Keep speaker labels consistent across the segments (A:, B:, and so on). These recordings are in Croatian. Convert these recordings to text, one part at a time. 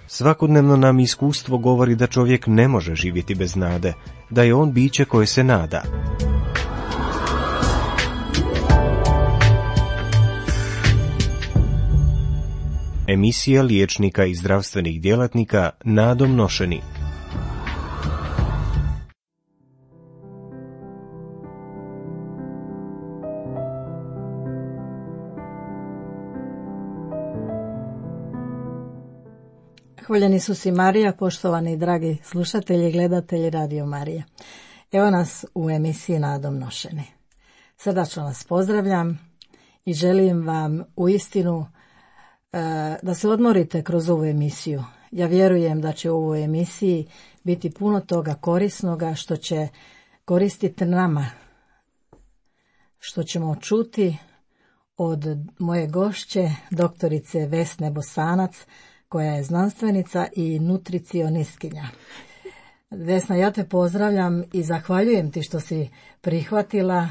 A: Svakodnevno nam iskustvo govori da čovjek ne može živjeti bez nade, da je on biće koje se nada. Emisija liječnika i zdravstvenih djelatnika nadom nošeni.
B: Hvaljeni su si Marija, poštovani i dragi slušatelji i gledatelji Radio Marije. Evo nas u emisiji Nadom nošeni. Srdačno vas pozdravljam i želim vam uistinu da se odmorite kroz ovu emisiju. Ja vjerujem da će u ovoj emisiji biti puno toga korisnoga što će koristiti nama, što ćemo čuti od moje gošće, doktorice Vesne Bosanac, koja je znanstvenica i nutricionistkinja. Vesna, ja te pozdravljam i zahvaljujem ti što si prihvatila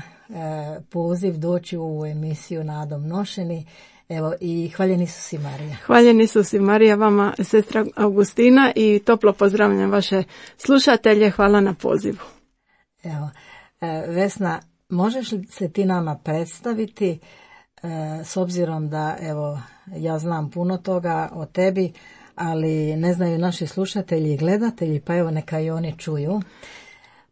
B: poziv doći u ovu emisiju Nadom nošeni. Evo, i hvaljeni su si Marija.
C: Hvaljeni su si Marija, vama sestra Augustina, i toplo pozdravljam vaše slušatelje. Hvala na pozivu.
B: Evo, Vesna, možeš li se ti nama predstaviti, s obzirom da, evo, ja znam puno toga o tebi, ali ne znaju naši slušatelji i gledatelji, pa evo neka i oni čuju.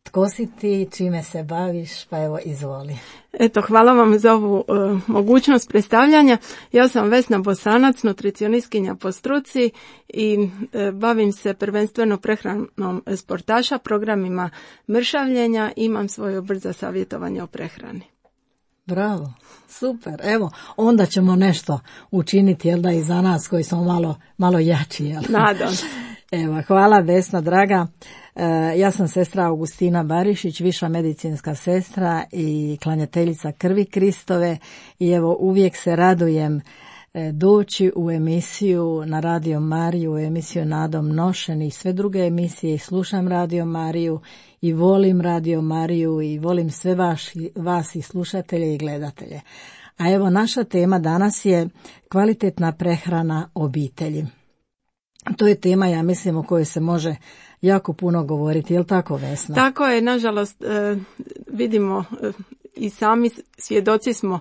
B: Tko si ti, čime se baviš, pa evo izvoli.
C: Eto, hvala vam za ovu mogućnost predstavljanja. Ja sam Vesna Bosanac, nutricionistkinja po struci i bavim se prvenstveno prehranom sportaša, programima mršavljenja, imam svoj obrt za savjetovanje o prehrani.
B: Bravo, super. Evo, onda ćemo nešto učiniti, jel da, i za nas koji smo malo jači, jel?
C: Nadam.
B: Evo, hvala Vesna, draga. Ja sam sestra Augustina Barišić, viša medicinska sestra i klanjateljica krvi Kristove, i evo uvijek se radujem doći u emisiju na Radio Mariju, u emisiju Nadom nošeni i sve druge emisije, i slušam Radio Mariju i volim Radio Mariju i volim sve vas i slušatelje i gledatelje. A evo, naša tema danas je kvalitetna prehrana obitelji. To je tema, ja mislim, o kojoj se može jako puno govoriti, je li tako, Vesna?
C: Tako je, nažalost vidimo i sami svjedoci smo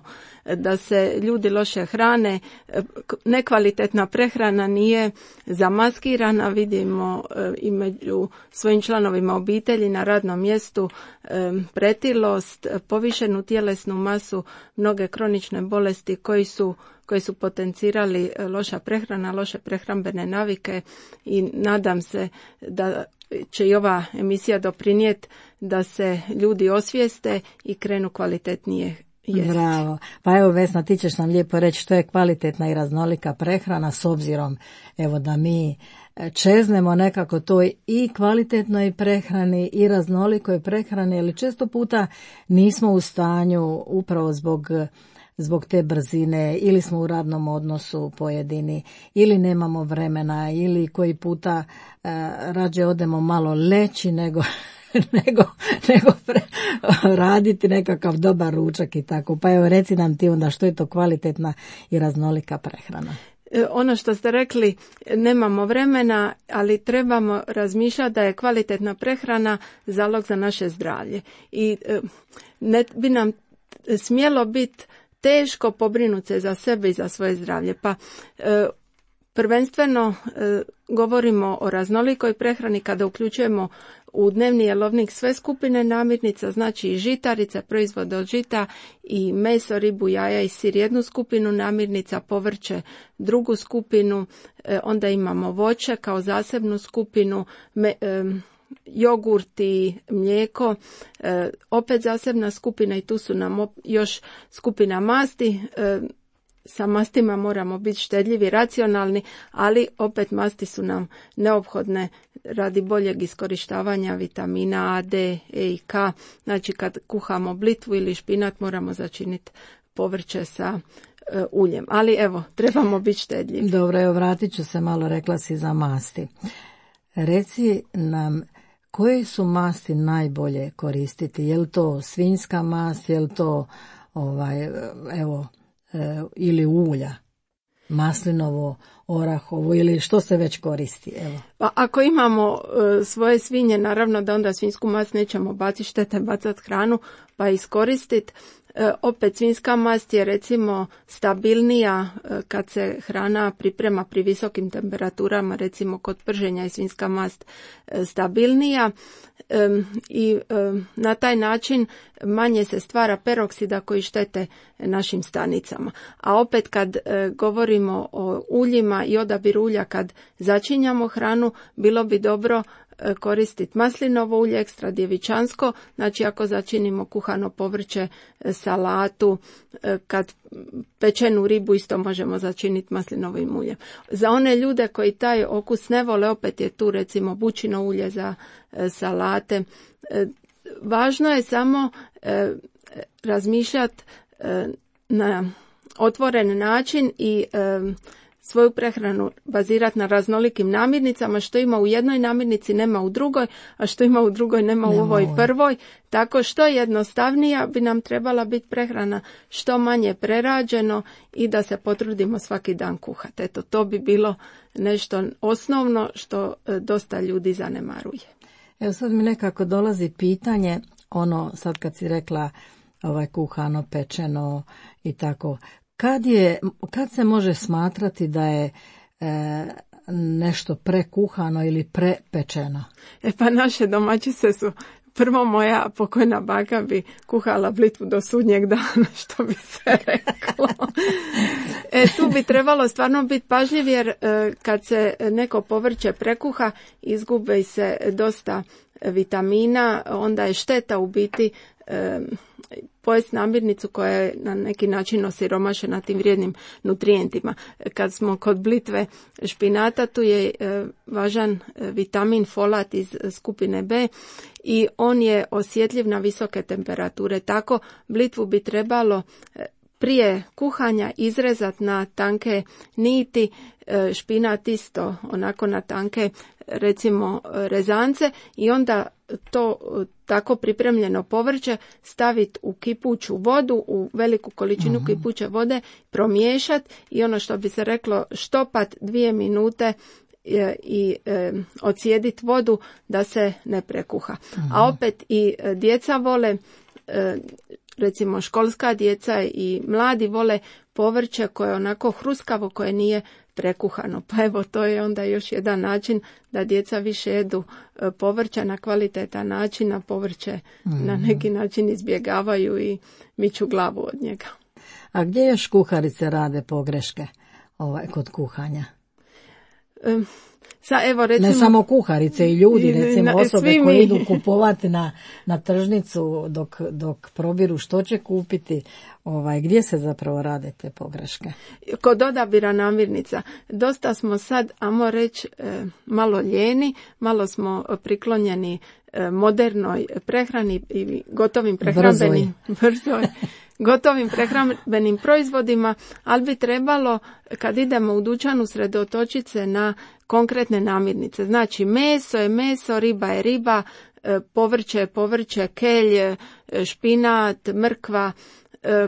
C: da se ljudi loše hrane, nekvalitetna prehrana nije zamaskirana, vidimo i među svojim članovima obitelji na radnom mjestu pretilost, povišenu tjelesnu masu, mnoge kronične bolesti koji su potencirali loša prehrana, loše prehrambene navike, i nadam se da će i ova emisija doprinijeti da se ljudi osvijeste i krenu kvalitetnije jesti.
B: Bravo. Pa evo, Vesna, ti ćeš nam lijepo reći što je kvalitetna i raznolika prehrana, s obzirom, evo, da mi čeznemo nekako toj i kvalitetnoj prehrani i raznolikoj prehrani, ali često puta nismo u stanju upravo zbog te brzine, ili smo u radnom odnosu pojedini, ili nemamo vremena, ili koji puta rađe odemo malo leći nego raditi nekakav dobar ručak i tako. Pa evo, reci nam ti onda što je to kvalitetna i raznolika prehrana.
C: Ono što ste rekli, nemamo vremena, ali trebamo razmišljati da je kvalitetna prehrana zalog za naše zdravlje. I ne bi nam smjelo biti teško pobrinuti se za sebe i za svoje zdravlje. Pa prvenstveno govorimo o raznolikoj prehrani kada uključujemo u dnevni jelovnik sve skupine namirnica, znači i žitarice, proizvode od žita, i meso, ribu, jaja i sir jednu skupinu namirnica, povrće drugu skupinu, onda imamo voće kao zasebnu skupinu, jogurt i mlijeko, opet zasebna skupina, i tu su nam još skupina masti. Sa mastima moramo biti štedljivi, racionalni, ali opet masti su nam neophodne radi boljeg iskorištavanja vitamina A, D, E i K. Znači, kad kuhamo blitvu ili špinat moramo začiniti povrće sa uljem. Ali evo, trebamo biti štedljivi.
B: Dobro, evo, vratit ću se malo, rekla si za masti. Reci nam, koje su masti najbolje koristiti? Je li to svinjska mast, je li to ili ulja? maslinovo, orahovo ili što se već koristi? Evo.
C: Pa ako imamo svoje svinje, naravno da onda svinjsku mast nećemo baciti, štete bacati hranu pa iskoristiti. Opet svinjska mast je recimo stabilnija kad se hrana priprema pri visokim temperaturama, recimo kod prženja je svinjska mast stabilnija i na taj način manje se stvara peroksida koji štete našim stanicama. A opet kad govorimo o uljima i odabiru ulja kad začinjamo hranu, bilo bi dobro koristiti maslinovo ulje, ekstra djevičansko, znači ako začinimo kuhano povrće, salatu, kad pečenu ribu isto možemo začiniti maslinovim uljem. Za one ljude koji taj okus ne vole, opet je tu recimo bučino ulje za salate. Važno je samo razmišljati na otvoren način i svoju prehranu bazirati na raznolikim namirnicama, što ima u jednoj namirnici nema u drugoj, a što ima u drugoj nema u ovoj prvoj. Tako što jednostavnija bi nam trebala biti prehrana, što manje prerađeno i da se potrudimo svaki dan kuhati. Eto, to bi bilo nešto osnovno što dosta ljudi zanemaruje.
B: Evo sad mi nekako dolazi pitanje, sad kad si rekla kuhano, pečeno i tako, kad se može smatrati da je nešto prekuhano ili prepečeno?
C: Pa naše domaćice su, prvo moja pokojna baka bi kuhala blitvu do sudnjeg dana, što bi se reklo. Tu bi trebalo stvarno biti pažljiv, jer kad se neko povrće prekuha, izgube se dosta vitamina, onda je šteta u biti pojesti namirnicu koja je na neki način osiromašena tim vrijednim nutrijentima. Kad smo kod blitve špinata, tu je važan vitamin folat iz skupine B i on je osjetljiv na visoke temperature. Tako blitvu bi trebalo prije kuhanja izrezati na tanke niti, špinat isto onako na tanke recimo rezance i onda to tako pripremljeno povrće staviti u kipuću vodu, u veliku količinu kipuće vode, promiješati i ono što bi se reklo štopat 2 minute i odsjediti vodu da se ne prekuha. A opet i djeca vole, recimo školska djeca i mladi vole povrće koje je onako hruskavo, koje nije prekuhano. Pa evo, to je onda još jedan način da djeca više jedu povrća na kvalitetan način, a povrće na neki način izbjegavaju i miču glavu od njega.
B: A gdje još kuharice rade pogreške kod kuhanja?
C: Evo, recimo,
B: ne samo kuharice i ljudi, recimo osobe koje idu kupovati na tržnicu dok probiru što će kupiti, gdje se zapravo rade te pogreške?
C: Kod odabira namirnica. Dosta smo sad, ajmo reći, malo lijeni, malo smo priklonjeni modernoj prehrani i gotovim prehrambenim gotovim prehrambenim proizvodima, ali bi trebalo kad idemo u dućan usredotočiti se na konkretne namirnice. Znači meso je meso, riba je riba, povrće je povrće, kelj, špinat, mrkva,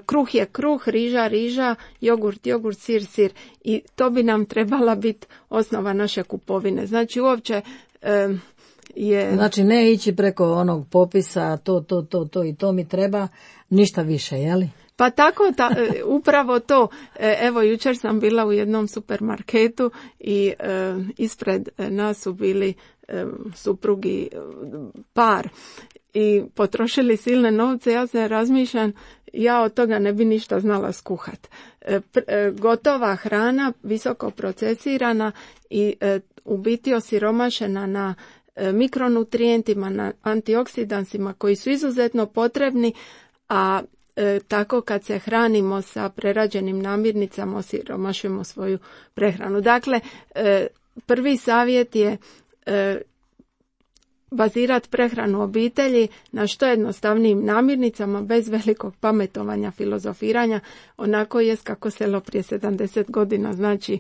C: kruh je kruh, riža, jogurt, sir. I to bi nam trebala biti osnova naše kupovine. Znači uopće
B: Znači ne ići preko onog popisa to i to mi treba, ništa više, jeli?
C: Pa tako, upravo to. Evo, jučer sam bila u jednom supermarketu i ispred nas su bili suprugi par i potrošili silne novce. Ja se razmišljam, ja od toga ne bi ništa znala skuhat. Gotova hrana, visoko procesirana i u biti osiromašena na mikronutrijentima, na antioksidansima koji su izuzetno potrebni, a tako kad se hranimo sa prerađenim namirnicama osiromašujemo svoju prehranu. Dakle, prvi savjet je bazirati prehranu obitelji na što jednostavnijim namirnicama, bez velikog pametovanja, filozofiranja, onako jest kako selo prije 70 godina, znači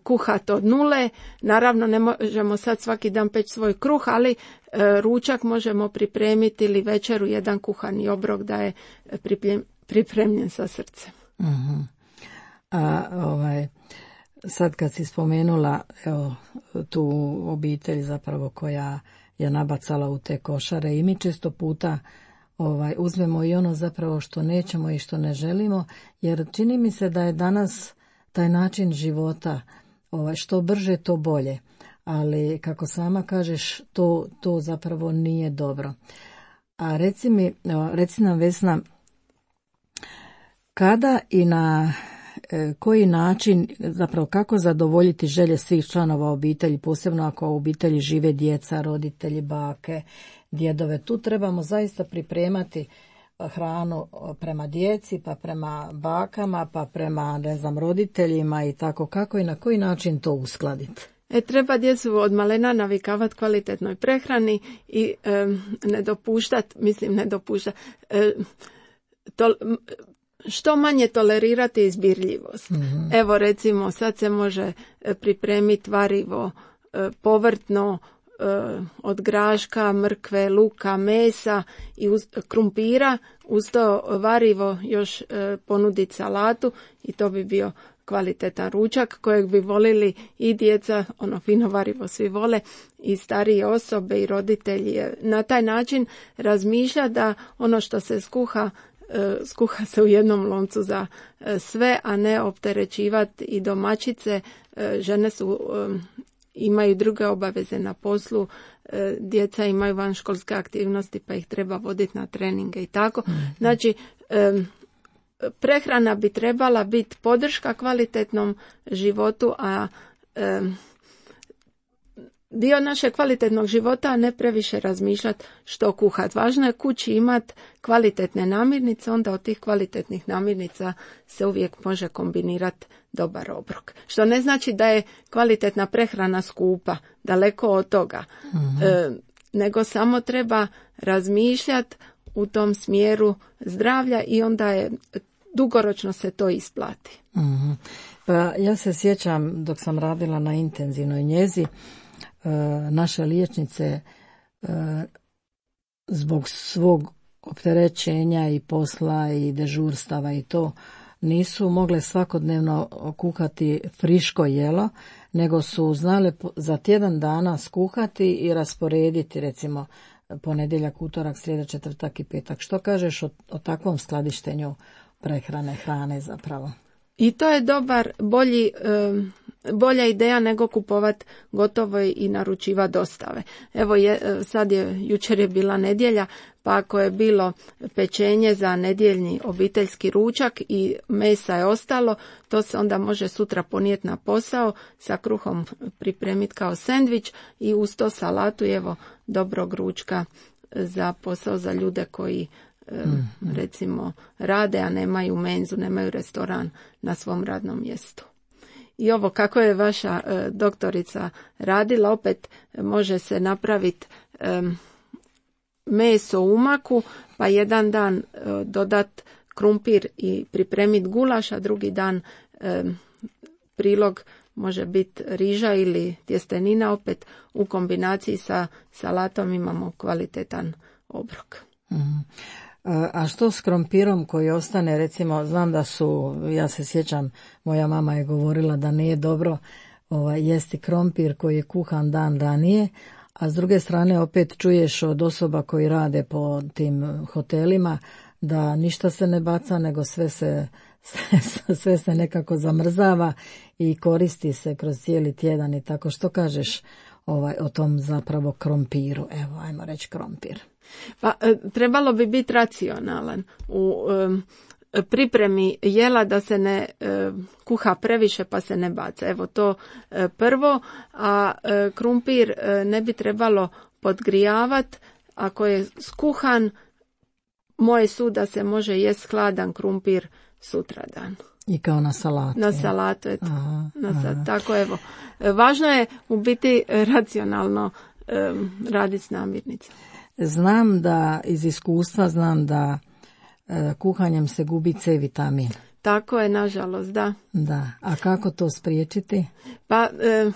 C: kuhat od nule. Naravno ne možemo sad svaki dan peći svoj kruh, ali ručak možemo pripremiti ili večeru jedan kuhani obrok da je pripremljen sa srcem.
B: A sad kad si spomenula tu obitelj zapravo koja je nabacala u te košare i mi često puta uzmemo i ono zapravo što nećemo i što ne želimo, jer čini mi se da je danas taj način života što brže to bolje, ali kako sama kažeš to zapravo nije dobro. A reci nam Vesna, kada i na koji način, zapravo kako zadovoljiti želje svih članova obitelji, posebno ako u obitelji žive djeca, roditelji, bake, djedove. Tu trebamo zaista pripremati hranu prema djeci, pa prema bakama, pa prema roditeljima i tako. Kako i na koji način to uskladiti?
C: Treba djecu od malena navikavati kvalitetnoj prehrani i ne dopuštati, što manje tolerirati izbirljivost. Mm-hmm. Evo recimo sad se može pripremiti varivo povrtno od graška, mrkve, luka, mesa i krumpira, uz to varivo još ponuditi salatu i to bi bio kvalitetan ručak kojeg bi volili i djeca, ono fino varivo svi vole, i starije osobe i roditelji. Na taj način razmišlja da ono što se skuha se u jednom loncu za sve, a ne opterećivati i domaćice. Žene imaju druge obaveze na poslu, djeca imaju vanškolske aktivnosti pa ih treba voditi na treninge i tako. Znači, prehrana bi trebala biti podrška kvalitetnom životu, a dio našeg kvalitetnog života, a ne previše razmišljati što kuhati. Važno je kući imati kvalitetne namirnice, onda od tih kvalitetnih namirnica se uvijek može kombinirati dobar obrok. Što ne znači da je kvalitetna prehrana skupa, daleko od toga. Mm-hmm. Nego samo treba razmišljati u tom smjeru zdravlja i onda je dugoročno se to isplati.
B: Mm-hmm. Pa ja se sjećam dok sam radila na intenzivnoj njezi, naše liječnice zbog svog opterećenja i posla i dežurstava i to nisu mogle svakodnevno kuhati friško jelo, nego su znale za tjedan dana skuhati i rasporediti, recimo ponedjeljak, utorak, srijeda, četvrtak i petak. Što kažeš o takvom skladištenju prehrane, hrane zapravo?
C: I to je bolja ideja nego kupovati gotovo i naručivati dostave. Evo jučer je bila nedjelja, pa ako je bilo pečenje za nedjeljni obiteljski ručak i mesa je ostalo, to se onda može sutra ponijeti na posao, sa kruhom pripremiti kao sendvič i uz to salatu i evo dobrog ručka za posao za ljude koji recimo rade, a nemaju menzu, nemaju restoran na svom radnom mjestu. I ovo kako je vaša doktorica radila, opet može se napraviti meso u umaku, pa jedan dan dodat krumpir i pripremiti gulaš, a drugi dan prilog može biti riža ili tjestenina, opet u kombinaciji sa salatom imamo kvalitetan obrok.
B: Mm. A što s krompirom koji ostane, recimo, znam da ja se sjećam, moja mama je govorila da nije dobro jesti krompir koji je kuhan dan ranije, a s druge strane opet čuješ od osoba koji rade po tim hotelima da ništa se ne baca, nego sve se nekako zamrzava i koristi se kroz cijeli tjedan i tako. Što kažeš o tom zapravo krompiru? Evo, ajmo reći krompir.
C: Pa trebalo bi biti racionalan u pripremi jela, da se ne kuha previše pa se ne baca. Evo to prvo, a krumpir ne bi trebalo podgrijavati. Ako je skuhan, moje su da se može jest hladan krumpir sutradan.
B: I kao na salatu.
C: Na salatu, eto. Tako evo. Važno je u biti racionalno raditi s namirnicama.
B: Znam da, iz iskustva znam da kuhanjem se gubi C vitamin.
C: Tako je, nažalost, da.
B: Da, a kako to spriječiti?
C: Pa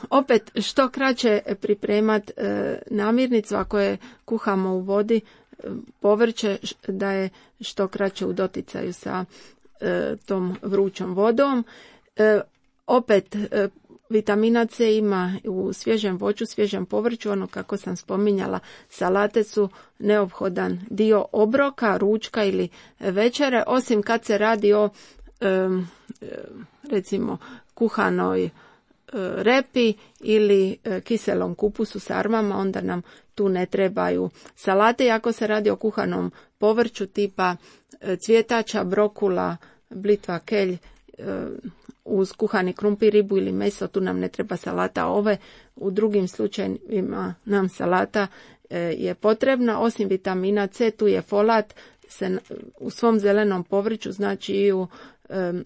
C: opet što kraće pripremati namirnicu, ako je kuhamo u vodi, povrće da je što kraće u doticaju sa tom vrućom vodom. Opet, vitamina C ima u svježem voću, svježem povrću, ono kako sam spominjala, salate su neophodan dio obroka, ručka ili večere, osim kad se radi o recimo kuhanoj repi ili kiselom kupusu s armama, onda nam tu ne trebaju salate. I ako se radi o kuhanom povrću tipa cvjetača, brokula, blitva, kelj, uz kuhani krumpir, ribu ili meso, tu nam ne treba salata. U drugim slučajevima nam salata je potrebna. Osim vitamina C, tu je folat u svom zelenom povrću, znači i u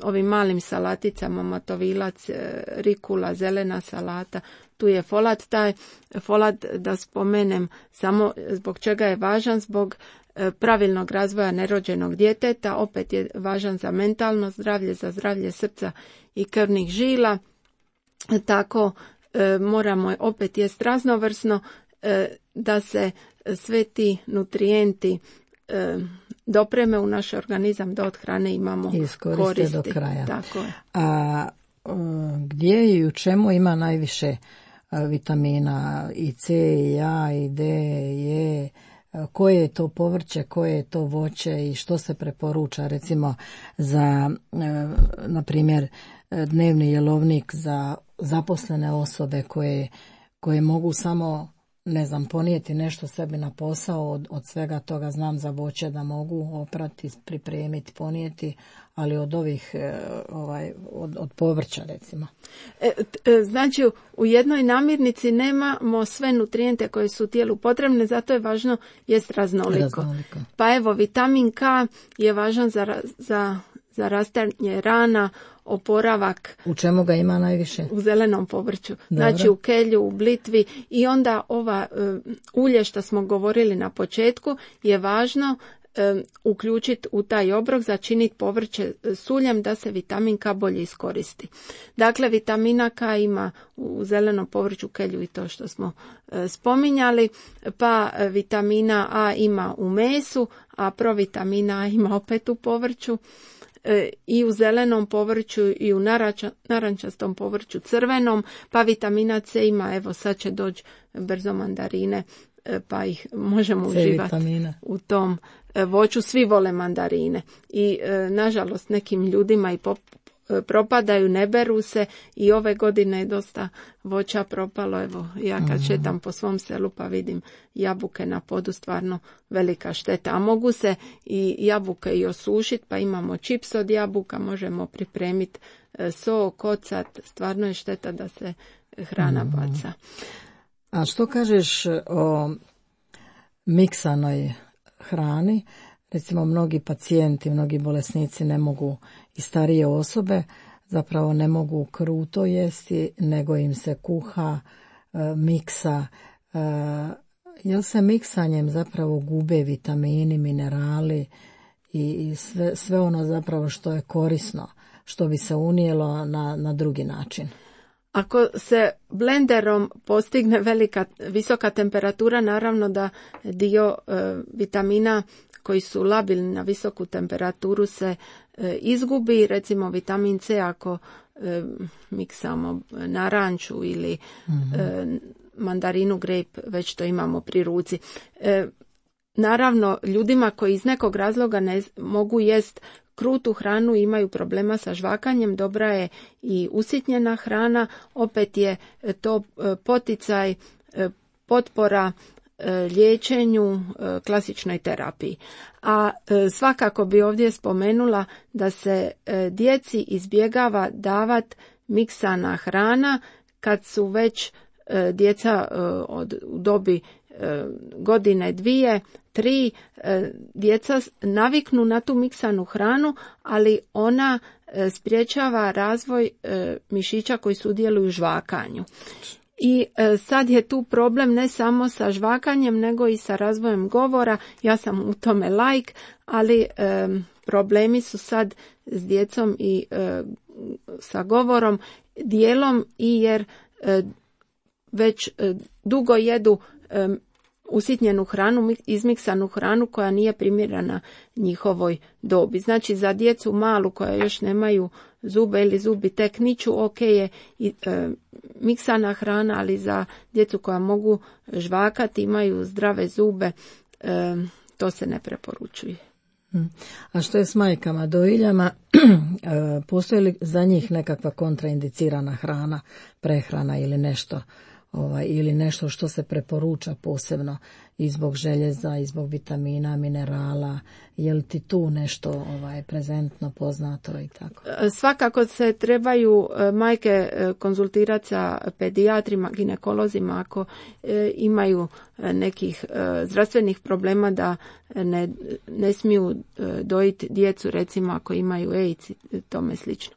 C: ovim malim salaticama, matovilac, rikula, zelena salata, tu je folat. Taj folat, da spomenem samo zbog čega je važan, zbog pravilnog razvoja nerođenog djeteta, opet je važan za mentalno zdravlje, za zdravlje srca i krvnih žila. Tako moramo opet jest raznovrsno da se sve ti nutrijenti dopreme u naš organizam, da od hrane imamo koristi
B: do kraja.
C: Tako je.
B: A gdje i u čemu ima najviše vitamina i C, i A, i D, i E? Koje je to povrće, koje je to voće i što se preporuča recimo za, na primjer, dnevni jelovnik za zaposlene osobe koje mogu samo, ne znam, ponijeti nešto sebi na posao od svega toga. Znam za voće da mogu oprati, pripremiti, ponijeti, ali od ovih od povrća recimo.
C: Znači u jednoj namirnici nemamo sve nutrijente koje su tijelu potrebne, zato je važno jest raznoliko. Pa evo, vitamin K je važan za rastanje rana, oporavak.
B: U čemu ga ima najviše?
C: U zelenom povrću.
B: Dobro.
C: Znači u kelju, u blitvi, i onda ova ulje što smo govorili na početku je važno uključiti u taj obrok, začiniti povrće s uljem da se vitamin K bolje iskoristi. Dakle, vitamina K ima u zelenom povrću, kelju i to što smo spominjali, pa vitamina A ima u mesu, a provitamina A ima opet u povrću, i u zelenom povrću i u narančastom povrću crvenom, pa vitamina C ima, evo sad će doći brzo mandarine, pa ih možemo uživati u tom voću. Svi vole mandarine i nažalost nekim ljudima i propadaju, ne beru se, i ove godine je dosta voća propalo. Evo, ja kad šetam po svom selu pa vidim jabuke na podu, stvarno velika šteta. A mogu se i jabuke i osušiti, pa imamo čips od jabuka, možemo pripremiti sok, ocat, stvarno je šteta da se hrana baca.
B: A što kažeš o miksanoj hrani? Recimo, mnogi pacijenti, mnogi bolesnici ne mogu, i starije osobe, zapravo ne mogu kruto jesti, nego im se kuha, miksa. Jel se miksanjem zapravo gube vitamini, minerali i sve ono zapravo što je korisno, što bi se unijelo na drugi način?
C: Ako se blenderom postigne visoka temperatura, naravno da dio vitamina koji su labilni na visoku temperaturu se izgubi. Recimo vitamin C ako miksamo naranču ili mandarinu, grape, već to imamo pri ruci. Naravno, ljudima koji iz nekog razloga ne mogu jest krutu hranu, imaju problema sa žvakanjem, dobra je i usitnjena hrana. Opet je to poticaj, potpora liječenju, klasičnoj terapiji. A svakako bi ovdje spomenula da se djeci izbjegava davati miksana hrana kad su već djeca u dobi godine, 2, 3, djeca naviknu na tu miksanu hranu, ali ona sprječava razvoj mišića koji sudjeluju u žvakanju. I sad je tu problem ne samo sa žvakanjem, nego i sa razvojem govora. Ja sam u tome laik, ali problemi su sad s djecom i sa govorom, dijelom i jer već dugo jedu usitnjenu hranu, izmiksanu hranu koja nije primjerena njihovoj dobi. Znači za djecu malu koja još nemaju zube ili zubi tek niču, ok je miksana hrana, ali za djecu koja mogu žvakati, imaju zdrave zube, to se ne preporučuje.
B: A što je s majkama dojiljama? Postoji li za njih nekakva kontraindicirana hrana, prehrana ili nešto što se preporuča posebno i zbog željeza, i zbog vitamina, minerala? Je li ti tu nešto prezentno, poznato i tako?
C: Svakako se trebaju majke konzultirati sa pedijatrima, ginekolozima ako imaju nekih zdravstvenih problema da ne smiju dojiti djecu, recimo ako imaju AIDS i tome slično.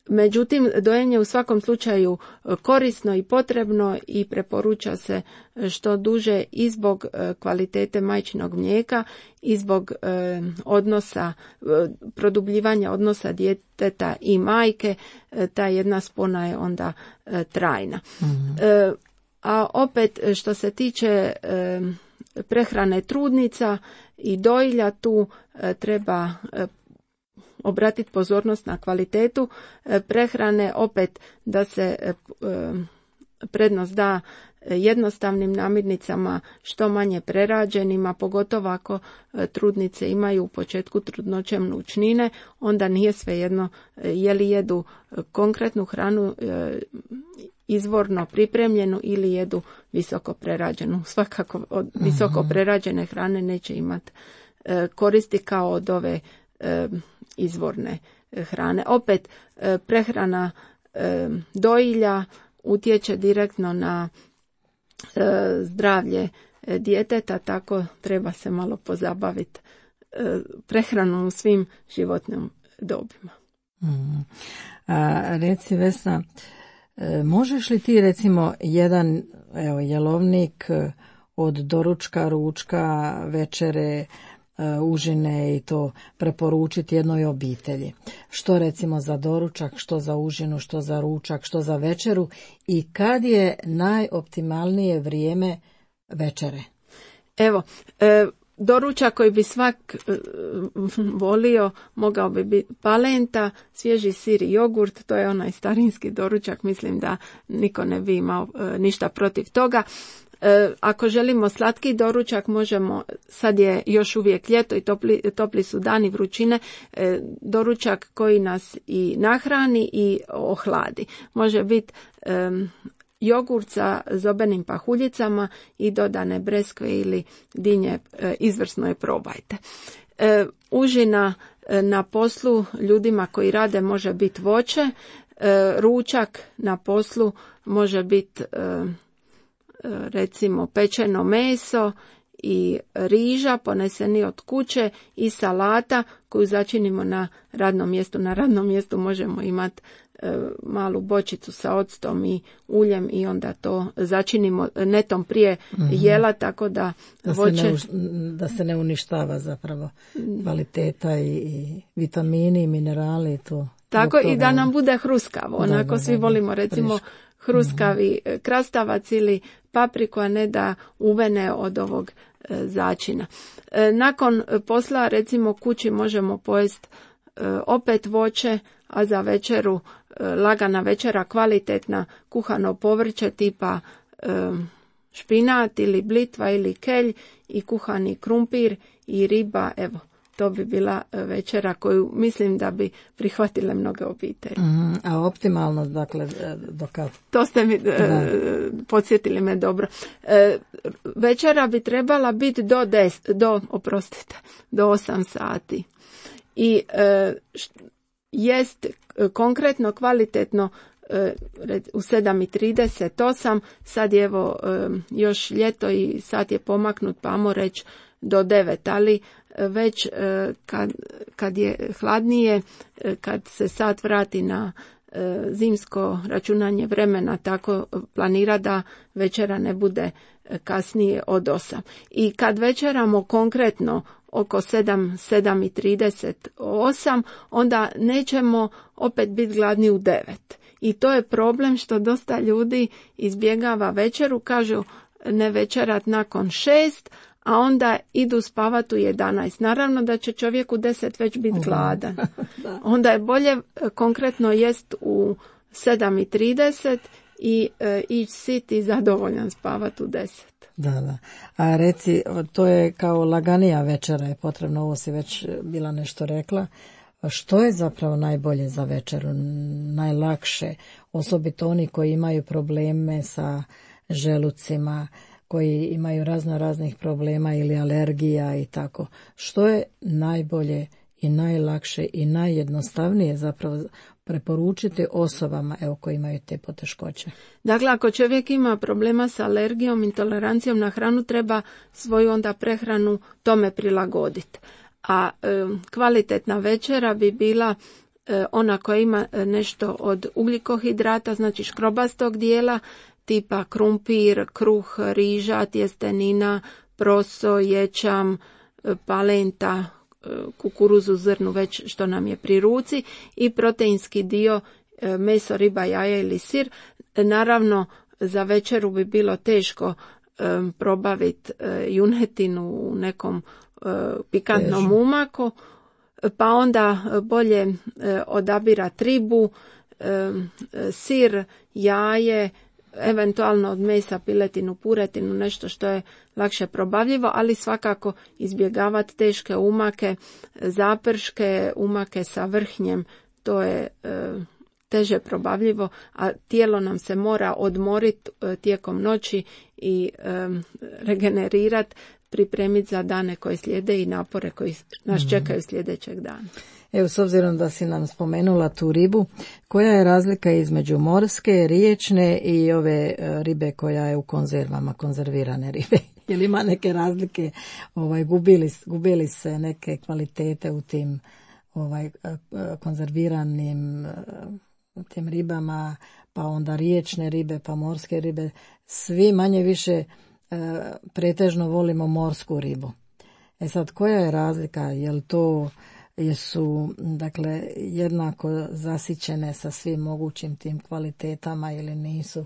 C: Međutim, dojenje u svakom slučaju korisno i potrebno i preporuča se što duže i zbog kvalitete majčinog mlijeka i zbog odnosa, produbljivanja odnosa djeteta i majke. Ta jedna spona je onda trajna. Mm-hmm. A opet što se tiče prehrane trudnica i dojilja, tu treba obratiti pozornost na kvalitetu prehrane, opet da se prednost da jednostavnim namirnicama, što manje prerađenima, pogotovo ako trudnice imaju u početku trudnoće mnučnine, onda nije svejedno je li jedu konkretnu hranu izvorno pripremljenu ili jedu visoko prerađenu. Svakako od visoko prerađene hrane neće imati koristi kao od ove izvorne hrane. Opet prehrana dojilja utječe direktno na zdravlje djeteta, tako treba se malo pozabaviti prehranom u svim životnim dobima.
B: Reci Vesna, možeš li ti recimo jedan jelovnik od doručka, ručka, večere, užine i to preporučiti jednoj obitelji? Što recimo za doručak, što za užinu, što za ručak, što za večeru i kad je najoptimalnije vrijeme večere?
C: Evo, doručak koji bi svak volio mogao bi biti palenta, svježi sir i jogurt, to je onaj starinski doručak, mislim da niko ne bi imao ništa protiv toga. Ako želimo slatki doručak, možemo, sad je još uvijek ljeto i topli su dani vrućine, doručak koji nas i nahrani i ohladi. Može biti jogurt sa zobenim pahuljicama i dodane breskve ili dinje, izvrsno je, probajte. Užina na poslu ljudima koji rade može biti voće, ručak na poslu može biti recimo pečeno meso i riža poneseni od kuće i salata koju začinimo na radnom mjestu. Na radnom mjestu možemo imati malu bočicu sa octom i uljem i onda to začinimo netom prije jela, tako da voće...
B: Da se ne uništava zapravo kvaliteta i vitamini i minerali. To,
C: tako i da nam bude hruskavo. Onako svi volimo recimo hruskavi krastavac ili papriku, a ne da uvene od ovog začina. Nakon posla recimo kući možemo pojesti opet voće, a za večeru lagana večera, kvalitetna kuhano povrće tipa špinat ili blitva ili kelj i kuhani krumpir i riba. Evo, to bi bila večera koju mislim da bi prihvatile mnoge obitelji.
B: A optimalno, dakle, do kad?
C: To ste mi podsjetili me dobro. Večera bi trebala biti do 8 sati. I jest konkretno, kvalitetno u 7:38, sad je evo još ljeto i sat je pomaknut, pa ajmo reći do 9, ali već kad je hladnije, kad se sat vrati na zimsko računanje vremena, tako planira da večera ne bude kasnije od 8. I kad večeramo konkretno oko 7:38, onda nećemo opet biti gladni u 9. I to je problem što dosta ljudi izbjegava večeru, kažu ne večerat nakon 6, a onda idu spavat u 11. Naravno da će čovjek u 10 već biti gladan. Onda je bolje konkretno jest u 7:30 i ići sit i zadovoljan spavat u 10.
B: Da. A reci, to je kao laganija večera je potrebno, ovo si već bila nešto rekla. Što je zapravo najbolje za večeru, najlakše, osobito oni koji imaju probleme sa želucima, koji imaju raznih problema ili alergija i tako. Što je najbolje i najlakše i najjednostavnije zapravo preporučiti osobama koji imaju te poteškoće?
C: Dakle, ako čovjek ima problema sa alergijom, intolerancijom na hranu, treba svoju onda prehranu tome prilagoditi. A kvalitetna večera bi bila ona koja ima nešto od ugljikohidrata, znači škrobastog dijela, tipa krumpir, kruh, riža, tjestenina, proso, ječam, palenta, kukuruzu, zrnu, već što nam je pri ruci, i proteinski dio meso, riba, jaja ili sir. Naravno, za večeru bi bilo teško probaviti junetinu u nekom pikantnom umaku, pa onda bolje odabirati ribu, sir, jaje, eventualno od mesa piletinu, puretinu, nešto što je lakše probavljivo, ali svakako izbjegavati teške umake, zaprške, umake sa vrhnjem, to je teže probavljivo, a tijelo nam se mora odmoriti tijekom noći i regenerirati, pripremiti za dane koje slijede i napore koji nas čekaju sljedećeg dana.
B: Evo, s obzirom da si nam spomenula tu ribu, koja je razlika između morske, riječne i ove ribe koja je u konzervama, konzervirane ribe? Je li ima neke razlike? Gubili se neke kvalitete u tim konzerviranim tim ribama, pa onda riječne ribe, pa morske ribe? Svi manje više pretežno volimo morsku ribu. Sad, koja je razlika? Jesu dakle jednako zasićene sa svim mogućim tim kvalitetama ili nisu?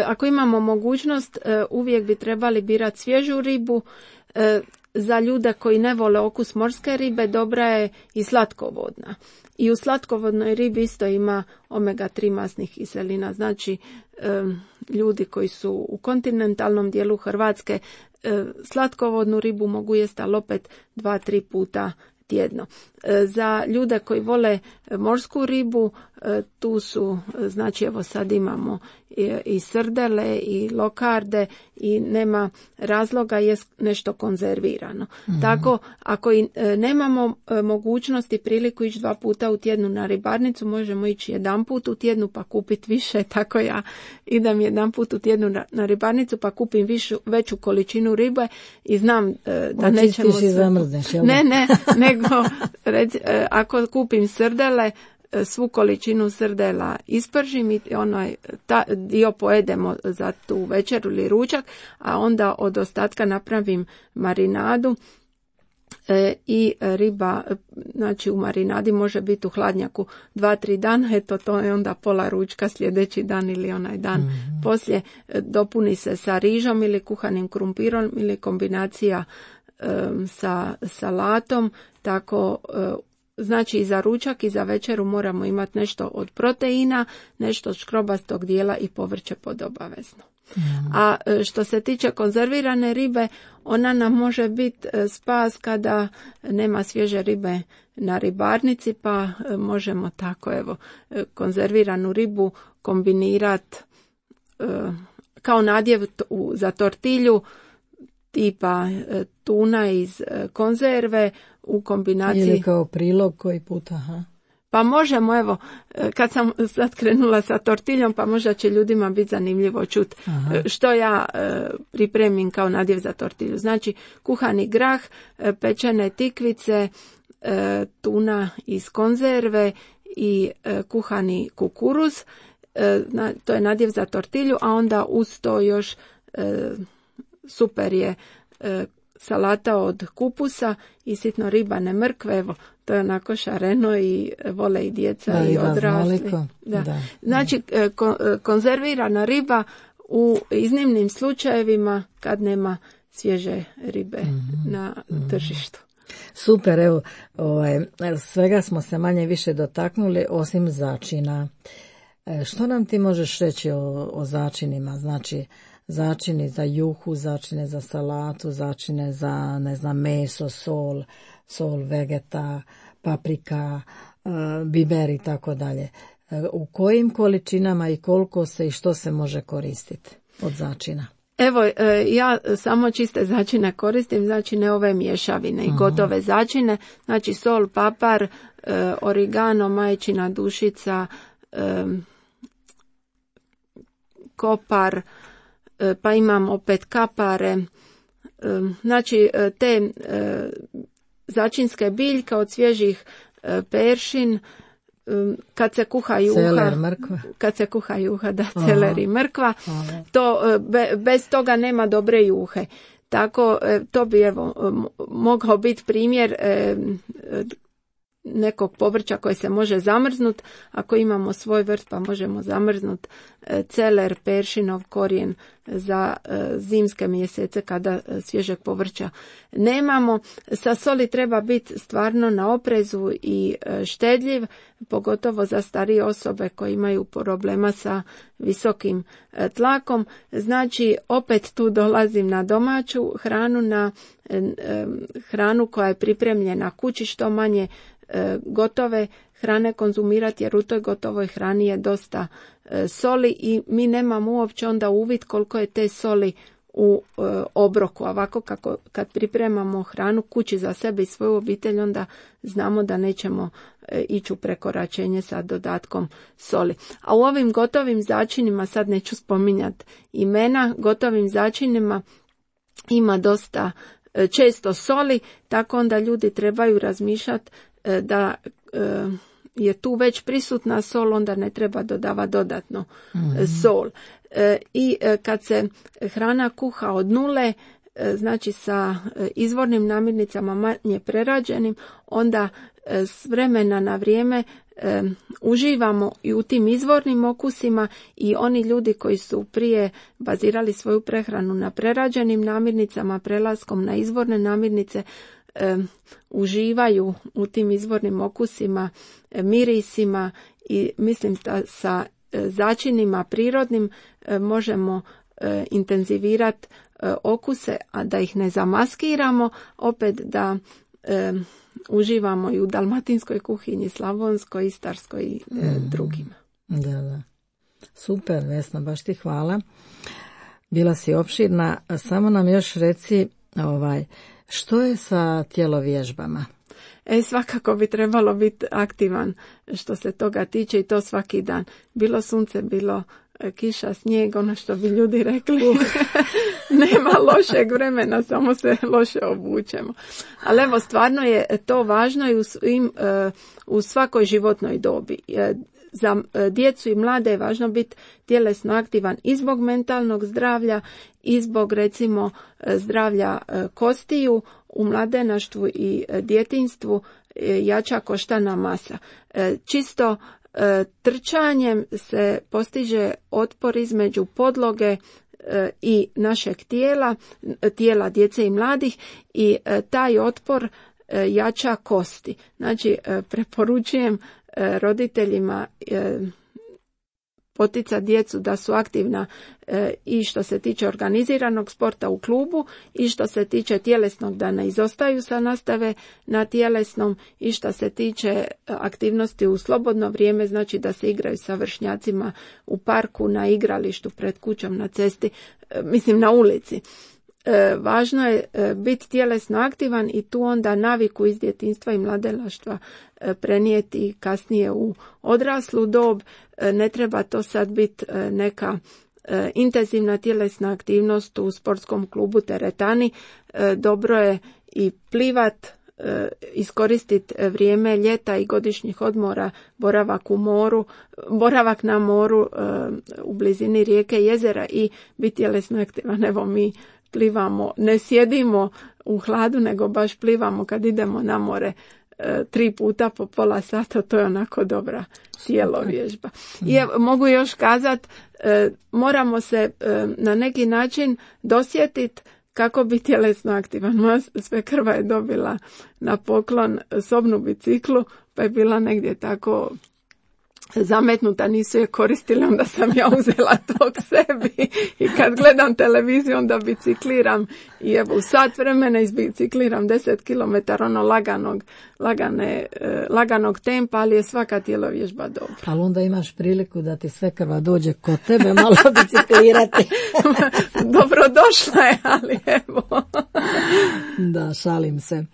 C: Ako imamo mogućnost, uvijek bi trebali birati svježu ribu. Za ljude koji ne vole okus morske ribe, dobra je i slatkovodna. I u slatkovodnoj ribi isto ima omega-3 masnih kiselina. Znači, ljudi koji su u kontinentalnom dijelu Hrvatske slatkovodnu ribu mogu jesti, ali opet 2-3 puta tjedno. Za ljude koji vole morsku ribu, tu su, znači evo sad imamo i srdele i lokarde i nema razloga, je nešto konzervirano. Tako, ako i nemamo mogućnosti priliku ići 2 puta u tjednu na ribarnicu, možemo ići 1 put u tjednu pa kupiti više. Tako ja idem 1 put u tjednu na ribarnicu pa kupim veću količinu ribe i znam da nećemo...
B: Očistiš i zamrzneš, jel?
C: Ne, nego ako kupim srdele, svu količinu srdela ispržim i dio pojedemo za tu večeru ili ručak, a onda od ostatka napravim marinadu i riba, znači u marinadi može biti u hladnjaku 2-3 dana, to je onda pola ručka sljedeći dan ili onaj dan poslije. Dopuni se sa rižom ili kuhanim krumpirom ili kombinacija sa salatom, tako znači i za ručak i za večeru moramo imati nešto od proteina, nešto od škrobastog dijela i povrće pod obavezno. A što se tiče konzervirane ribe, ona nam može biti spas kada nema svježe ribe na ribarnici, pa možemo tako konzerviranu ribu kombinirati kao nadjev za tortilju, tipa tuna iz konzerve u kombinaciji...
B: Ili kao prilog koji puta,
C: Pa možemo, kad sam sad krenula sa tortiljom, pa možda će ljudima biti zanimljivo čuti što ja pripremim kao nadjev za tortilju. Znači, kuhani grah, pečene tikvice, tuna iz konzerve i kuhani kukuruz, to je nadjev za tortilju, a onda uz to još super je salata od kupusa i sitno ribane mrkve, to je onako šareno i vole i djeca i odrasli.
B: Da.
C: Znači, konzervirana riba u iznimnim slučajevima kad nema svježe ribe na tržištu.
B: Super, evo, svega smo se manje više dotaknuli osim začina. Što nam ti možeš reći o začinima? Znači, začini za juhu, začine za salatu, začine za, ne znam, meso, sol, vegeta, paprika, biber i tako dalje. U kojim količinama i koliko se i što se može koristiti od začina?
C: Evo, ja samo čiste začine koristim, znači ne ove mješavine i gotove začine, znači sol, papar, origano, majčina dušica, kopar, pa imam opet kapare, znači te začinske biljke od svježih peršin, kad se kuha juha,
B: celer, mrkva.
C: Kad se kuha juha, da, celer i mrkva, to bez toga nema dobre juhe. Tako to bi mogao biti primjer nekog povrća koje se može zamrznut. Ako imamo svoj vrt pa možemo zamrznut celer, peršinov korijen za zimske mjesece kada svježeg povrća nemamo. Sa soli treba biti stvarno na oprezu i štedljiv, pogotovo za starije osobe koje imaju problema sa visokim tlakom. Znači, opet tu dolazim na domaću hranu, na hranu koja je pripremljena kući, što manje gotove hrane konzumirati, jer u toj gotovoj hrani je dosta soli i mi nemamo uopće onda uvid koliko je te soli u obroku. Ovako kad pripremamo hranu kući za sebe i svoju obitelj, onda znamo da nećemo ići u prekoračenje sa dodatkom soli. A u ovim gotovim začinima, sad neću spominjati imena, gotovim začinima ima dosta često soli, tako onda ljudi trebaju razmišljati da je tu već prisutna sol, onda ne treba dodavati dodatno sol. I kad se hrana kuha od nule, znači sa izvornim namirnicama manje prerađenim, onda s vremena na vrijeme uživamo i u tim izvornim okusima, i oni ljudi koji su prije bazirali svoju prehranu na prerađenim namirnicama, prelaskom na izvorne namirnice, uživaju u tim izvornim okusima, mirisima, i mislim da sa začinima prirodnim možemo intenzivirati okuse, a da ih ne zamaskiramo, opet da uživamo i u dalmatinskoj kuhinji, slavonskoj, istarskoj i drugima.
B: Da. Super, Vesna, baš ti hvala. Bila si opširna. Samo nam još reci, što je sa tjelovježbama?
C: Svakako bi trebalo biti aktivan što se toga tiče, i to svaki dan. Bilo sunce, bilo kiša, snijeg, ono što bi ljudi rekli. Nema lošeg vremena, samo se loše obučemo. Ali evo, stvarno je to važno i u svakoj životnoj dobi. Za djecu i mlade je važno biti tjelesno aktivan i zbog mentalnog zdravlja i zbog, recimo, zdravlja kostiju. U mladenaštvu i djetinjstvu jača koštana masa. Čisto trčanjem se postiže otpor između podloge i našeg tijela djece i mladih, i taj otpor jača kosti. Znači, preporučujem roditeljima poticati djecu da su aktivna i što se tiče organiziranog sporta u klubu, i što se tiče tjelesnog, da ne izostaju sa nastave na tjelesnom, i što se tiče aktivnosti u slobodno vrijeme, znači da se igraju sa vršnjacima u parku, na igralištu, pred kućom, na cesti, mislim na ulici. Važno je biti tjelesno aktivan i tu onda naviku iz djetinjstva i mladenaštva prenijeti kasnije u odraslu dob. Ne treba to sad biti neka intenzivna tjelesna aktivnost u sportskom klubu, teretani. Dobro je i plivat, iskoristiti vrijeme ljeta i godišnjih odmora, boravak na moru u blizini rijeke, jezera, i biti tjelesno aktivan. Evo, mi plivamo, ne sjedimo u hladu, nego baš plivamo kad idemo na more 3 puta po pola sata, to je onako dobra tijelovježba. I mogu još kazati, moramo se na neki način dosjetiti kako bi tjelesno aktivan. Moja svekrva je dobila na poklon sobnu biciklu, pa je bila negdje tako zametnuta, nisu je koristili, onda sam ja uzela to k sebi i kad gledam televiziju onda bicikliram i evo u sat vremena izbicikliram 10 km ono laganog tempa, ali je svaka tijelovježba dobra.
B: Ali onda imaš priliku da ti svekrva dođe kod tebe malo biciklirati.
C: Dobrodošla je, ali evo.
B: Da, šalim se.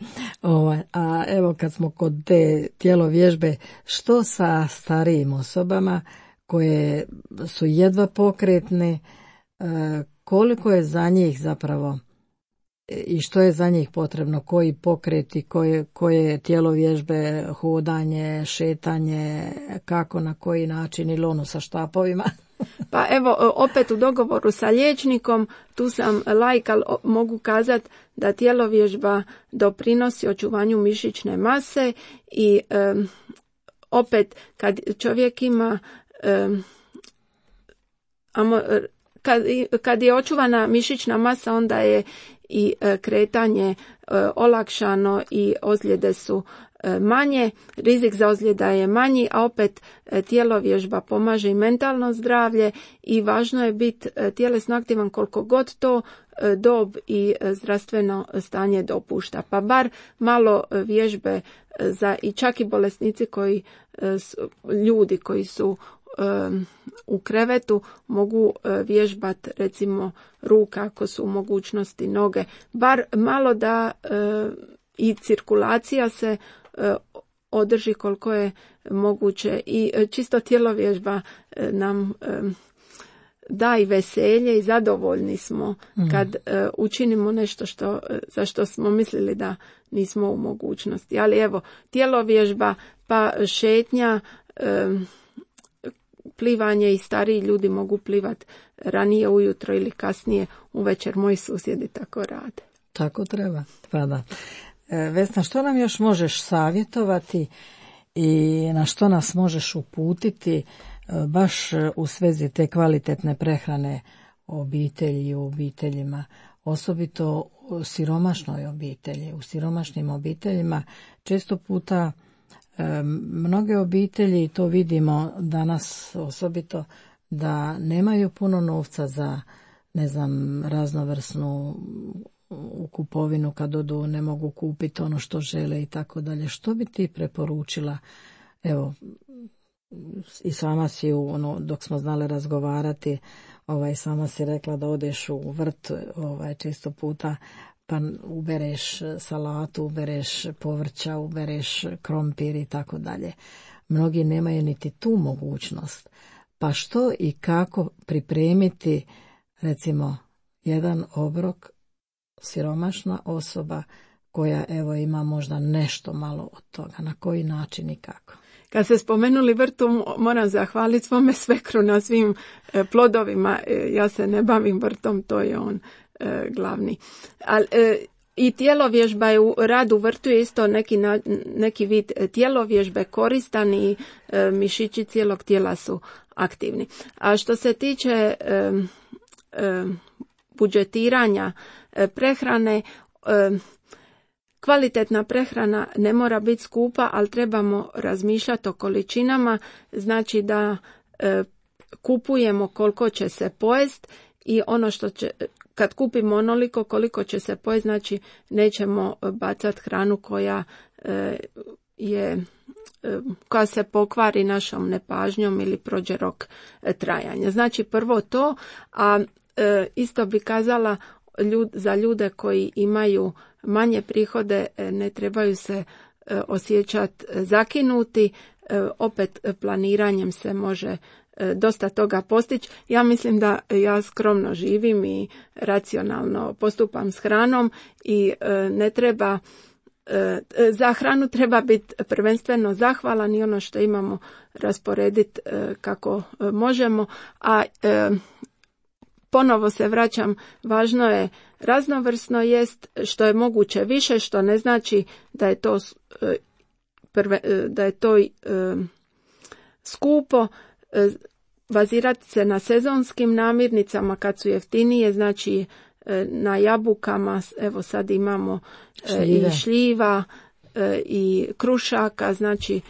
B: A evo kad smo kod te tijelovježbe, što sa starijim osobama koje su jedva pokretne, koliko je za njih zapravo i što je za njih potrebno, koji pokreti, koje tijelovježbe, hodanje, šetanje, kako, na koji način, ili ono sa štapovima?
C: Pa evo, opet u dogovoru sa liječnikom, tu sam laik, ali mogu kazati da tijelovježba doprinosi očuvanju mišićne mase i opet kad čovjek ima kad je očuvana mišićna masa, onda je i kretanje olakšano i ozljede su manje, rizik za ozljeda je manji, a opet tijelovježba pomaže i mentalno zdravlje i važno je biti tjelesno aktivan koliko god to dob i zdravstveno stanje dopušta. Pa bar malo vježbe za i čak i bolesnici ljudi koji su u krevetu mogu vježbati recimo ruka ako su u mogućnosti noge. Bar malo da i cirkulacija se održi koliko je moguće i čisto tijelovježba nam da i veselje i zadovoljni smo kad učinimo nešto za što smo mislili da nismo u mogućnosti. Ali evo, tijelovježba pa šetnja, plivanje i stariji ljudi mogu plivati ranije ujutro ili kasnije uvečer, moji susjedi tako rade.
B: Tako treba, pa da. Vesna, što nam još možeš savjetovati i na što nas možeš uputiti baš u svezi te kvalitetne prehrane obitelji i u obiteljima, osobito u siromašnoj obitelji, u siromašnim obiteljima često puta mnoge obitelji, to vidimo danas osobito, da nemaju puno novca za, raznovrsnu kupovinu, kad odu ne mogu kupiti ono što žele i tako dalje. Što bi ti preporučila? Evo, i sama si dok smo znali razgovarati, sama si rekla da odeš u vrt često puta, pa ubereš salatu, ubereš povrća, ubereš krompir i tako dalje. Mnogi nemaju niti tu mogućnost. Pa što i kako pripremiti, recimo, jedan obrok siromašna osoba koja ima možda nešto malo od toga, na koji način i kako?
C: Kad ste spomenuli vrtu, moram zahvaliti svome svekru na svim plodovima. Ja se ne bavim vrtom, to je on glavni. I tijelovježba je u radu vrtu je isto neki vid tijelovježbe koristan i mišići cijelog tijela su aktivni. A što se tiče budžetiranja prehrane, kvalitetna prehrana ne mora biti skupa, ali trebamo razmišljati o količinama, znači da kupujemo koliko će se pojesti i ono što će, kad kupimo onoliko koliko će se pojesti, znači nećemo bacati hranu koja se pokvari našom nepažnjom ili prođe rok trajanja. Znači prvo to, a isto bi kazala za ljude koji imaju manje prihode, ne trebaju se osjećati zakinuti, opet planiranjem se može dosta toga postići. Ja mislim da ja skromno živim i racionalno postupam s hranom i ne treba, za hranu treba biti prvenstveno zahvalan i ono što imamo rasporediti kako možemo, a ponovo se vraćam, važno je raznovrsno jest što je moguće više, što ne znači da je to da je to skupo, bazirati se na sezonskim namirnicama kad su jeftinije, znači na jabukama, evo sad imamo i šljiva i krušaka, znači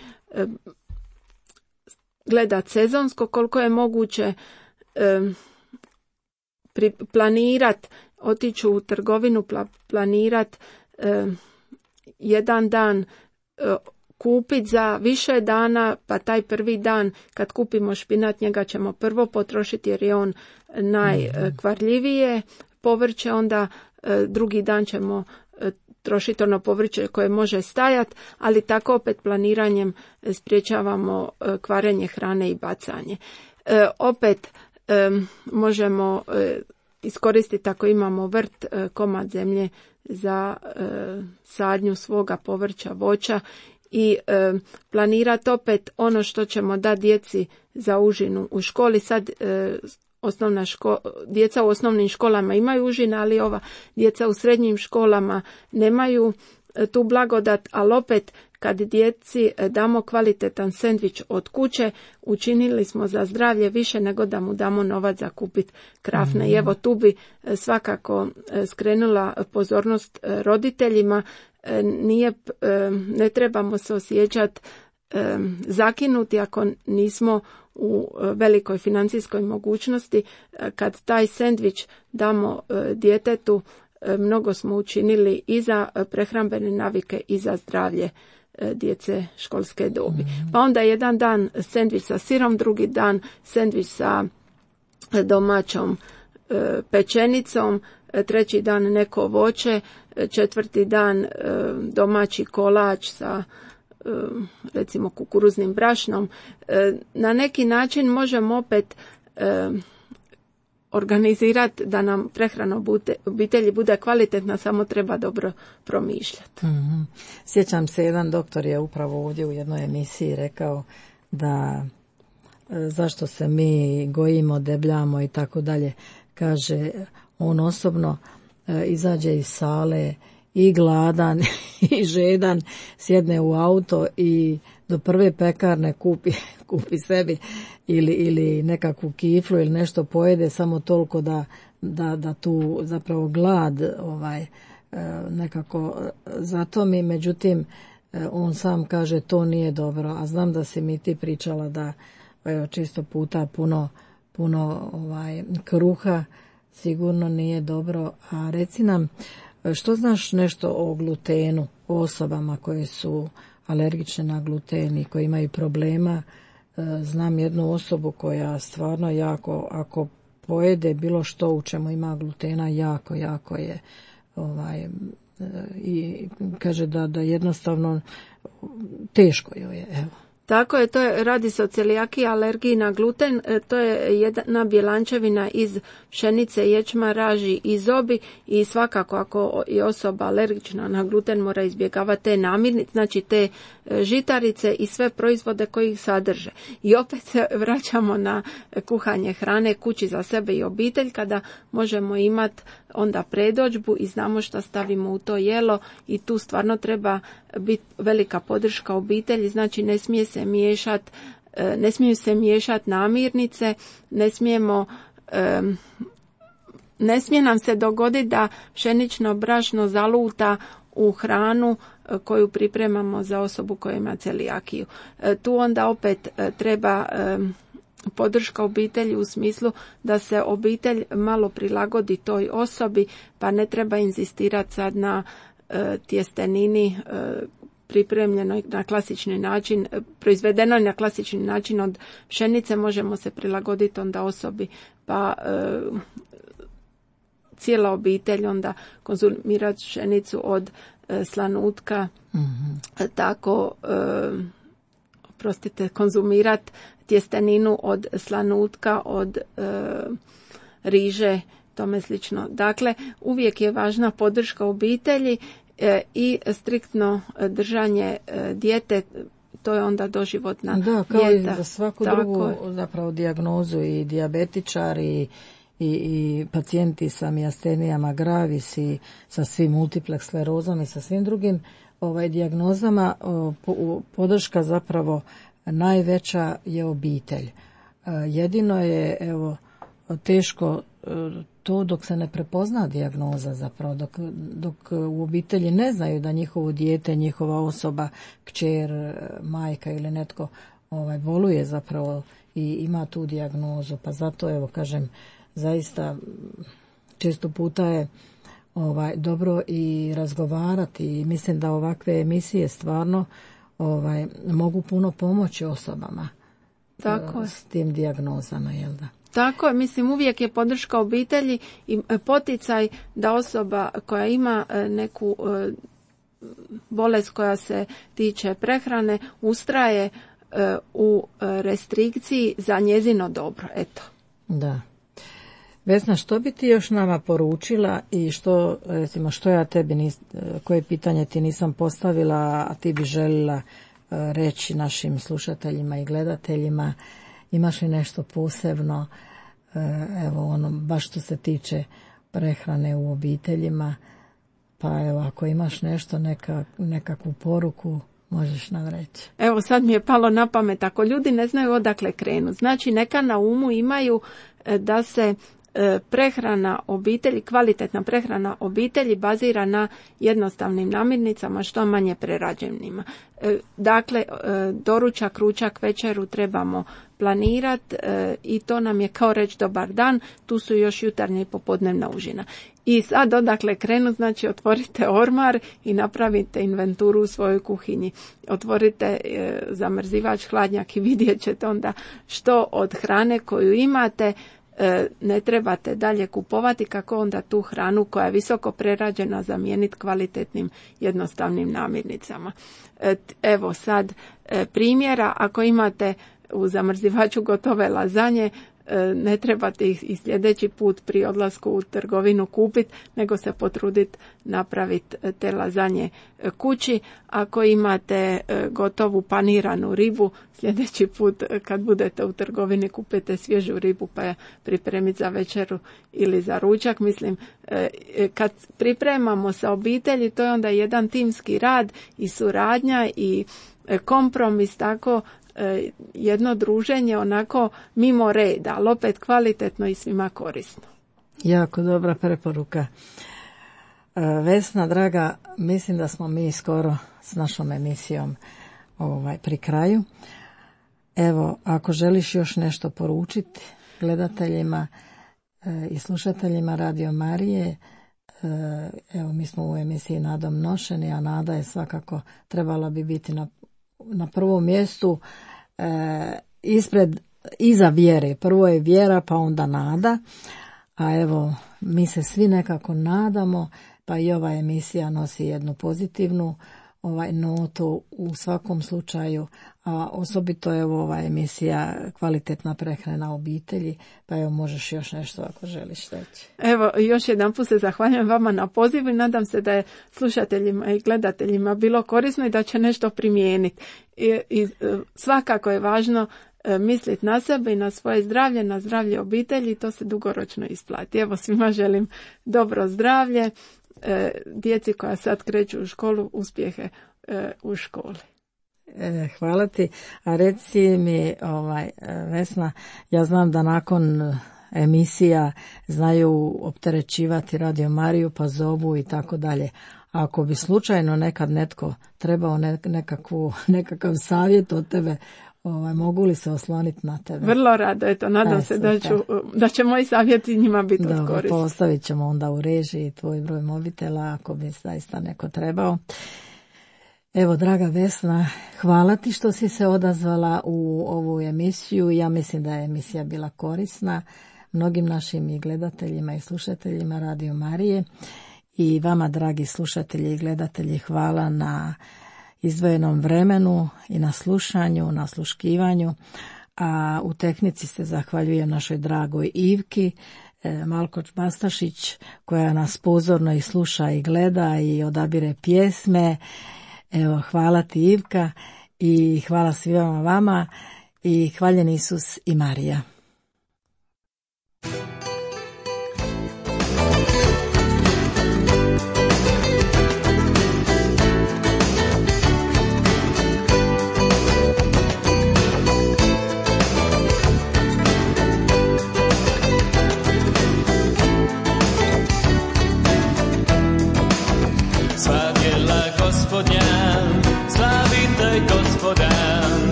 C: gledat sezonsko koliko je moguće, planirat, otići u trgovinu, planirat jedan dan, kupit za više dana, pa taj prvi dan kad kupimo špinat, njega ćemo prvo potrošiti jer je on najkvarljivije povrće, onda drugi dan ćemo trošiti ono povrće koje može stajati, ali tako opet planiranjem sprječavamo kvarenje hrane i bacanje. Opet možemo iskoristiti ako imamo vrt, komad zemlje za sadnju svoga povrća, voća i planirati opet ono što ćemo dati djeci za užinu u školi. Sad djeca u osnovnim školama imaju užine, ali ova djeca u srednjim školama nemaju tu blagodat, ali opet kad djeci damo kvalitetan sendvič od kuće, učinili smo za zdravlje više nego da mu damo novac za kupiti krafne. I evo tu bi svakako skrenula pozornost roditeljima, ne trebamo se osjećati zakinuti ako nismo u velikoj financijskoj mogućnosti. Kad taj sendvič damo djetetu, mnogo smo učinili i za prehrambene navike i za zdravlje djece školske dobi. Pa onda jedan dan sendvič sa sirom, drugi dan sendvič sa domaćom pečenicom, treći dan neko voće, četvrti dan domaći kolač sa recimo kukuruznim brašnom. Na neki način možemo opet organizirati da nam prehrana obitelji bude kvalitetna, samo treba dobro promišljati.
B: Sjećam se, jedan doktor je upravo ovdje u jednoj emisiji rekao da zašto se mi gojimo, debljamo i tako dalje. Kaže, on osobno izađe iz sale i gladan i žedan, sjedne u auto i do prve pekarne kupi sebi ili nekakvu kiflu ili nešto pojede, samo toliko da tu zapravo glad nekako zatomi. Međutim, on sam kaže to nije dobro, a znam da si mi ti pričala da čisto puta puno kruha sigurno nije dobro. A reci nam, što znaš nešto o glutenu, o osobama koje su alergične na gluten i koji imaju problema? Znam jednu osobu koja stvarno jako, ako pojede bilo što u čemu ima glutena, jako je i kaže da jednostavno teško joj je, evo.
C: Tako je, radi se o celijakiji, alergiji na gluten, to je jedna bjelančevina iz pšenice, ječma, raži i zobi i svakako ako je osoba alergična na gluten mora izbjegavati te namirnice, znači te žitarice i sve proizvode koji ih sadrže. I opet se vraćamo na kuhanje hrane kući za sebe i obitelj, kada možemo imati onda predodžbu i znamo šta stavimo u to jelo i tu stvarno treba biti velika podrška obitelji, znači ne smiju se miješati namirnice, ne smije nam se dogoditi da pšenično brašno zaluta u hranu koju pripremamo za osobu koja ima celijakiju. Tu onda opet treba podrška obitelji u smislu da se obitelj malo prilagodi toj osobi, pa ne treba inzistirati sad na tjestenini pripremljenoj na klasični način, proizvedenoj na klasični način od pšenice, možemo se prilagoditi onda osobi, pa cijela obitelj onda konzumirati pšenicu od slanutka, tako konzumirati tjesteninu od slanutka, od riže, tome slično. Dakle, uvijek je važna podrška obitelji i striktno držanje dijete, to je onda doživotna dijeta.
B: Da, kao i za svaku drugu zapravo dijagnozu, i dijabetičari i pacijenti sa mijastenijama gravis i sa svim multiple sklerozom i sa svim drugim dijagnozama podrška zapravo najveća je obitelj. Jedino je teško to dok se ne prepozna dijagnoza zapravo, dok u obitelji ne znaju da njihovo dijete, njihova osoba, kćer, majka ili netko boluje zapravo i ima tu dijagnozu. Pa zato kažem, zaista često puta je dobro i razgovarati i mislim da ovakve emisije stvarno mogu puno pomoći osobama s tim dijagnozama, jel da?
C: Tako je, mislim uvijek je podrška obitelji i poticaj da osoba koja ima neku bolest koja se tiče prehrane ustraje u restrikciji za njezino dobro, eto.
B: Da. Vesna, što bi ti još nama poručila i što ja tebi koje pitanje ti nisam postavila, a ti bi željela reći našim slušateljima i gledateljima? Imaš li nešto posebno, baš što se tiče prehrane u obiteljima? Pa ako imaš nešto, nekakvu poruku, možeš nam reći.
C: Evo sad mi je palo na pamet, ako ljudi ne znaju odakle krenu, znači neka na umu imaju da se prehrana obitelji, kvalitetna prehrana obitelji bazira na jednostavnim namirnicama, što manje prerađenima. Dakle, doručak, ručak, večeru trebamo planirati i to nam je kao reći dobar dan, tu su još jutarnja i popodnevna užina. I sad odakle krenu, znači otvorite ormar i napravite inventuru u svojoj kuhinji. Otvorite zamrzivač, hladnjak i vidjet ćete onda što od hrane koju imate ne trebate dalje kupovati, kako onda tu hranu koja je visoko prerađena zamijeniti kvalitetnim jednostavnim namirnicama. Evo sad primjera, ako imate u zamrzivaču gotove lazanje, ne trebate ih i sljedeći put pri odlasku u trgovinu kupiti, nego se potruditi napraviti te lazanje kući. Ako imate gotovu paniranu ribu, sljedeći put kad budete u trgovini kupite svježu ribu pa je pripremiti za večeru ili za ručak. Mislim, kad pripremamo sa obitelji, to je onda jedan timski rad i suradnja i kompromis, tako jedno druženje onako mimo reda, ali opet kvalitetno i svima korisno.
B: Jako dobra preporuka. Vesna, draga, mislim da smo mi skoro s našom emisijom pri kraju. Evo, ako želiš još nešto poručiti gledateljima i slušateljima Radio Marije, evo mi smo u emisiji Nadom nošeni, a nada je svakako trebala bi biti na prvom mjestu iza vjere. Prvo je vjera, pa onda nada, a evo mi se svi nekako nadamo, pa i ova emisija nosi jednu pozitivnu notu u svakom slučaju, a osobito je ova emisija kvalitetna prehrana obitelji, pa evo možeš još nešto ako želiš reći.
C: Evo, još jedan put se zahvaljujem vama na pozivu i nadam se da je slušateljima i gledateljima bilo korisno i da će nešto primijeniti. I svakako je važno misliti na sebe i na svoje zdravlje, na zdravlje obitelji, to se dugoročno isplati. Evo, svima želim dobro zdravlje, djeci koja sad kreću u školu, uspjehe u školi.
B: Hvala ti. A reci mi, Vesna, ja znam da nakon emisija znaju opterećivati Radio Mariju, pa zovu i tako dalje. Ako bi slučajno nekad netko trebao nekakav savjet od tebe, mogu li se osloniti na tebe?
C: Vrlo rado, eto, nadam se da će moji savjeti njima biti od koristi.
B: Postavit ćemo onda u režiji tvoj broj mobitela ako bi zaista neko trebao. Evo, draga Vesna, hvala ti što si se odazvala u ovu emisiju. Ja mislim da je emisija bila korisna mnogim našim i gledateljima i slušateljima Radio Marije. I vama, dragi slušatelji i gledatelji, hvala na izdvojenom vremenu i na slušanju, na sluškivanju, a u tehnici se zahvaljujem našoj dragoj Ivki Malkoč-Bastašić, koja nas pozorno i sluša i gleda i odabire pjesme. Evo, hvala ti, Ivka, i hvala svima vama i hvaljen Isus i Marija.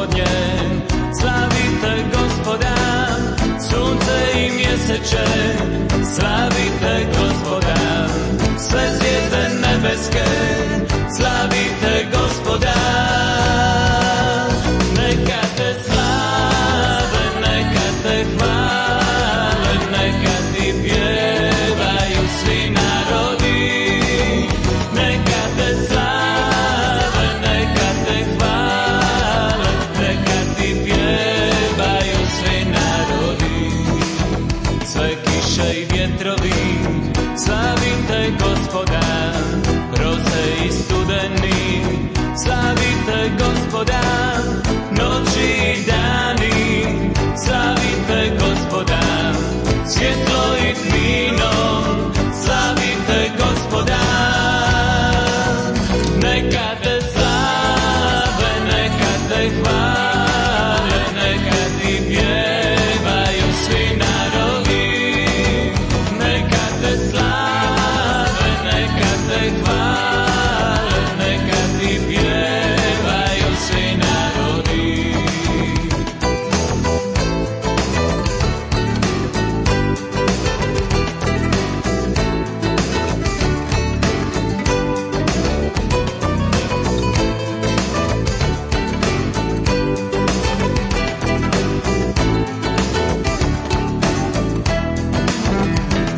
D: Gospodnje, slavite Gospoda, sunce i mjeseče, slavite Gospoda, sve zvijezde nebeske, slavite Gospoda. Neka te slave, neka te hvale, neka ti pjevaju svi narodi. Neka te slave, neka te hvale, neka ti pjevaju svi narodi. Sve kiše i vjetrovi, slavite Gospoda, roze i studeni, slavite Gospoda, noći i dani, slavite Gospoda, svjetlo i tmino, slavite Gospoda. Neka te slave, neka te hvale, neka ti pjevaju svi narodi. Neka te slave, neka te hvale, neka ti pjevaju svi narodi.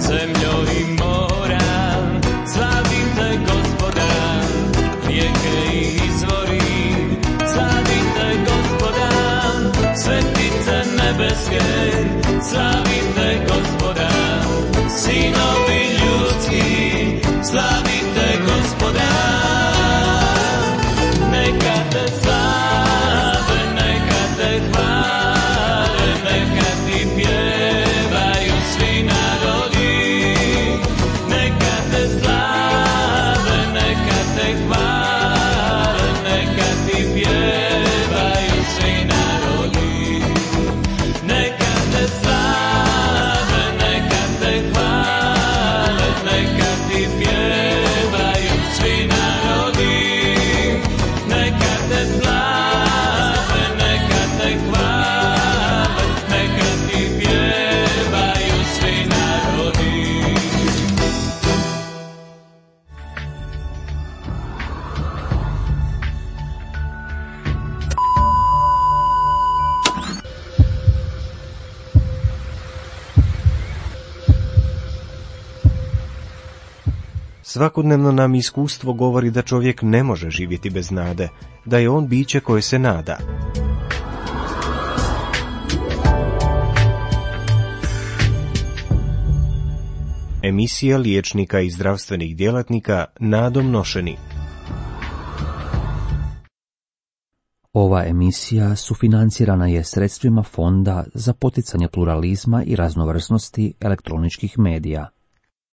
D: Zemljo i mora, slavite Gospoda, rijeke i izvori, slavite Gospoda, svetice nebeske, slavite Gospoda, sinovi ljudski, slavite Gospoda. Neka te slave, neka te hvale, neka ti pjevaju svi narodi. Neka te slave, neka te hvale, neka ti pjevaju svi narodi. Neka te slave, neka te hvale, neka ti pjevaju svi narodi. Neka te slave, neka te hvale, neka ti pjevaju svi narodi.
A: Svakodnevno nam iskustvo govori da čovjek ne može živjeti bez nade, da je on biće koje se nada. Emisija liječnika i zdravstvenih djelatnika Nadom Nošeni.
E: Ova emisija sufinancirana je sredstvima Fonda za poticanje pluralizma i raznovrsnosti elektroničkih medija.